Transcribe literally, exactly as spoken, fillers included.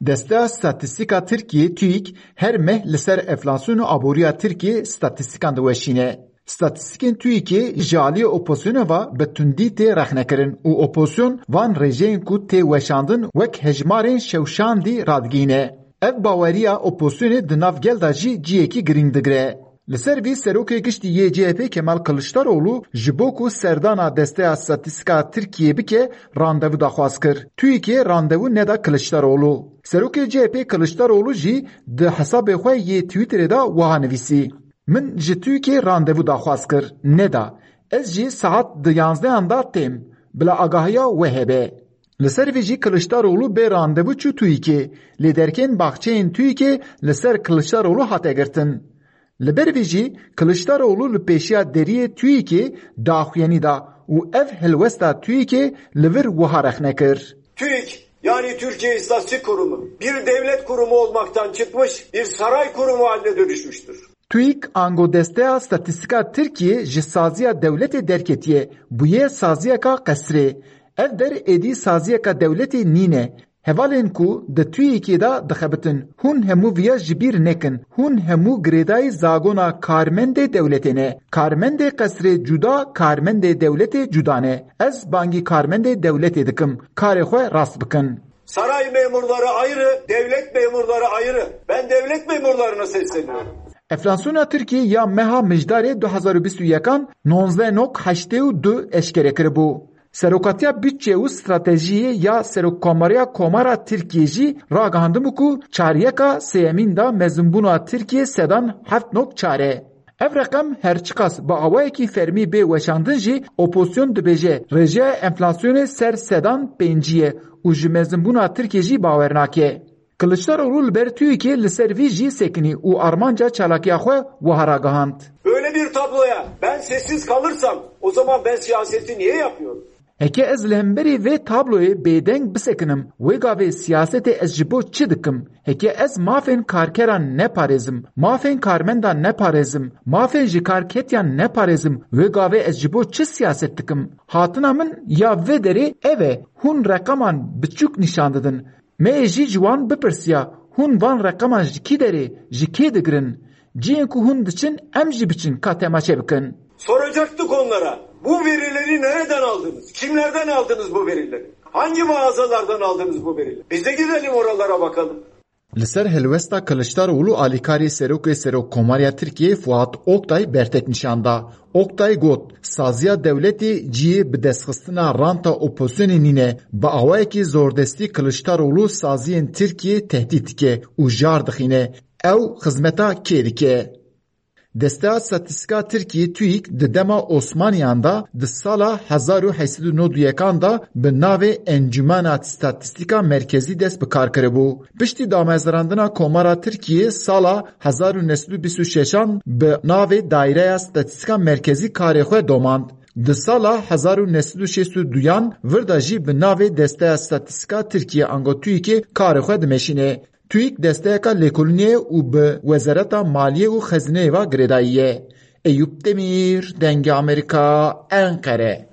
Desteya Statîstîka Tirkiyê, TÜİK, her meh li ser enflasyon û aboriya Tirkiyê statîstîkan diweşîne. Statîstîkên TÜİKê ji aliyê opozisyonê ve bi tundî tê rexnekirin û opozisyon van rêjeyên ku tê weşandin wek hejmarên şewşandî radigihîne. Ev baweriya opozisyonê di nav gel de jî cihekî girîng digire. Li ser vî serokê giştî yê C H P Kemal Kiliçdaroglu ji bo ku serdana Desteya Statîstîka Tirkiyê bike, randevu daxwaz kir. TÜİKê randevu neda Kiliçdaroglu. Serokê C H P Kiliçdaroglu jî di hesabê xwe yê Twitterê de wiha nivîsî: Min ji TÜİKê randevu daxwaz kir, neda. Ez jî saet di yanzdehan de têm. Bila agahiya we hebe. Li ser vî jî Kiliçdaroglu bê randevu çû TÜİKê. Lêderkên baxçeyên TÜİKê li ser Kiliçdaroglu hate girtin. Li ber vî jî Kiliçdaroglu li pêşiya deriyê TÜİKê daxuyanî da û ev helwesta TÜİKê li vir wiha rexne kir: TÜİK, yani Türkiye İstatistik Kurumu, bir devlet kurumu olmaktan çıkmış, bir saray kurumu haline dönüşmüştür. TÜİK ango Desteya Statîstîka Tirkiyê ji saziya dewletê derketiye, bûye saziyeka qesrê. Ev der êdî saziyeka dewletê nîne. Hevalên ku di TÜİKê de dixebitin, hûn hemû viya ji bîr nekin. Hûn hemû girêdayî zagona karmendê dewletê ne. Karmendê qesrê cuda, karmendê dewletê cuda ne. Ez bangî karmendê dewletê dikim, karê xwe rast bikin. Saray memurları ayrı, devlet memurları ayrı. Ben devlet memurlarına sesleniyorum. Enflasyona Tirkiyê ya meha Mijdarê du hezar û bîst û yekan nonzdeh nok heştê û du eşkere kiribû. Serokatiya Budçe û Stratejiyê ya Serokkomariya Komara Tirkiyê jî ragihandibû ku çaryeka sêyemîn de mezinbûna Tirkiyê sedan heft nok çar e. Ev reqem her çiqas bi awayekî fermî bê weşandin jî, opozisyon dibêje rêjeya enflasyonê ser sedan pêncî ye û ji mezinbûna Tirkiyê jî bawer nake. Kiliçdaroglu li ber TÜİKê li ser vî jî sekinî û armanca çalakiya xwe wiha ragihand: Böyle bir tabloya ben sessiz kalırsam o zaman ben siyaseti niye yapıyorum? Heke ez li hemberî vê tabloyê bêdeng bisekinim, wê gavê siyasetê ez ji bo çi dikim? Heke ez mafên karkeran neparêzim, mafên karmendan neparêzim, mafên ji kar ketiyan neparêzim, wê gavê ez ji bo çi siyaset dikim? Hatina min ya vê derê ev e, hûn reqeman biçûk nîşan didin. Me yê jî ji wan bipirsiya, hûn van reqeman ji kî derê, ji kê digirin? Cihên ku hûn diçin, em jî biçin ka temaşe bikin. Soracaktık onlara, bu verileri nereden aldınız? Kimlerden aldınız bu verileri? Hangi mağazalardan aldınız bu verileri? Biz de gidelim oralara bakalım. Li ser helwesta Kiliçdaroglu alîkarê Serokê Serokkomariya Tirkiyê Fuat Oktay bertek nîşan da. Oktay got, saziya dewletê cihê bi destxistina ranta opozisyonê nîne. Bi awayekî zordestî Kiliçdaroglu saziyên Tirkiyê tehdît dike û jar dixîne. Ew xizmeta kê dike? Desteya Statîstîka Tirkiyê TÜİK di dema Osmaniyan de di sala hezar û heşt sed û nod û yekan de bi navê Encumena Statîstîka Merkezî dest bi kar kiribû. Piştî damezrandina Komara Tirkiyê sala hezar û neh sed û bîst û şeşan bi navê Daireya Statîstîka Merkezî karê xwe domand. Di sala hezar û neh sed û şêst û duyan vir de jî bi navê Desteya Statîstîka Tirkiyê ango TÜİKê karê xwe dimeşîne. TÜİK desteyeka lêkolînê ye û bi Wezareta Maliyê û Xezîneyê ve girêdayî ye. Eyûp Demîr, Dengê Amerîka, Enqere.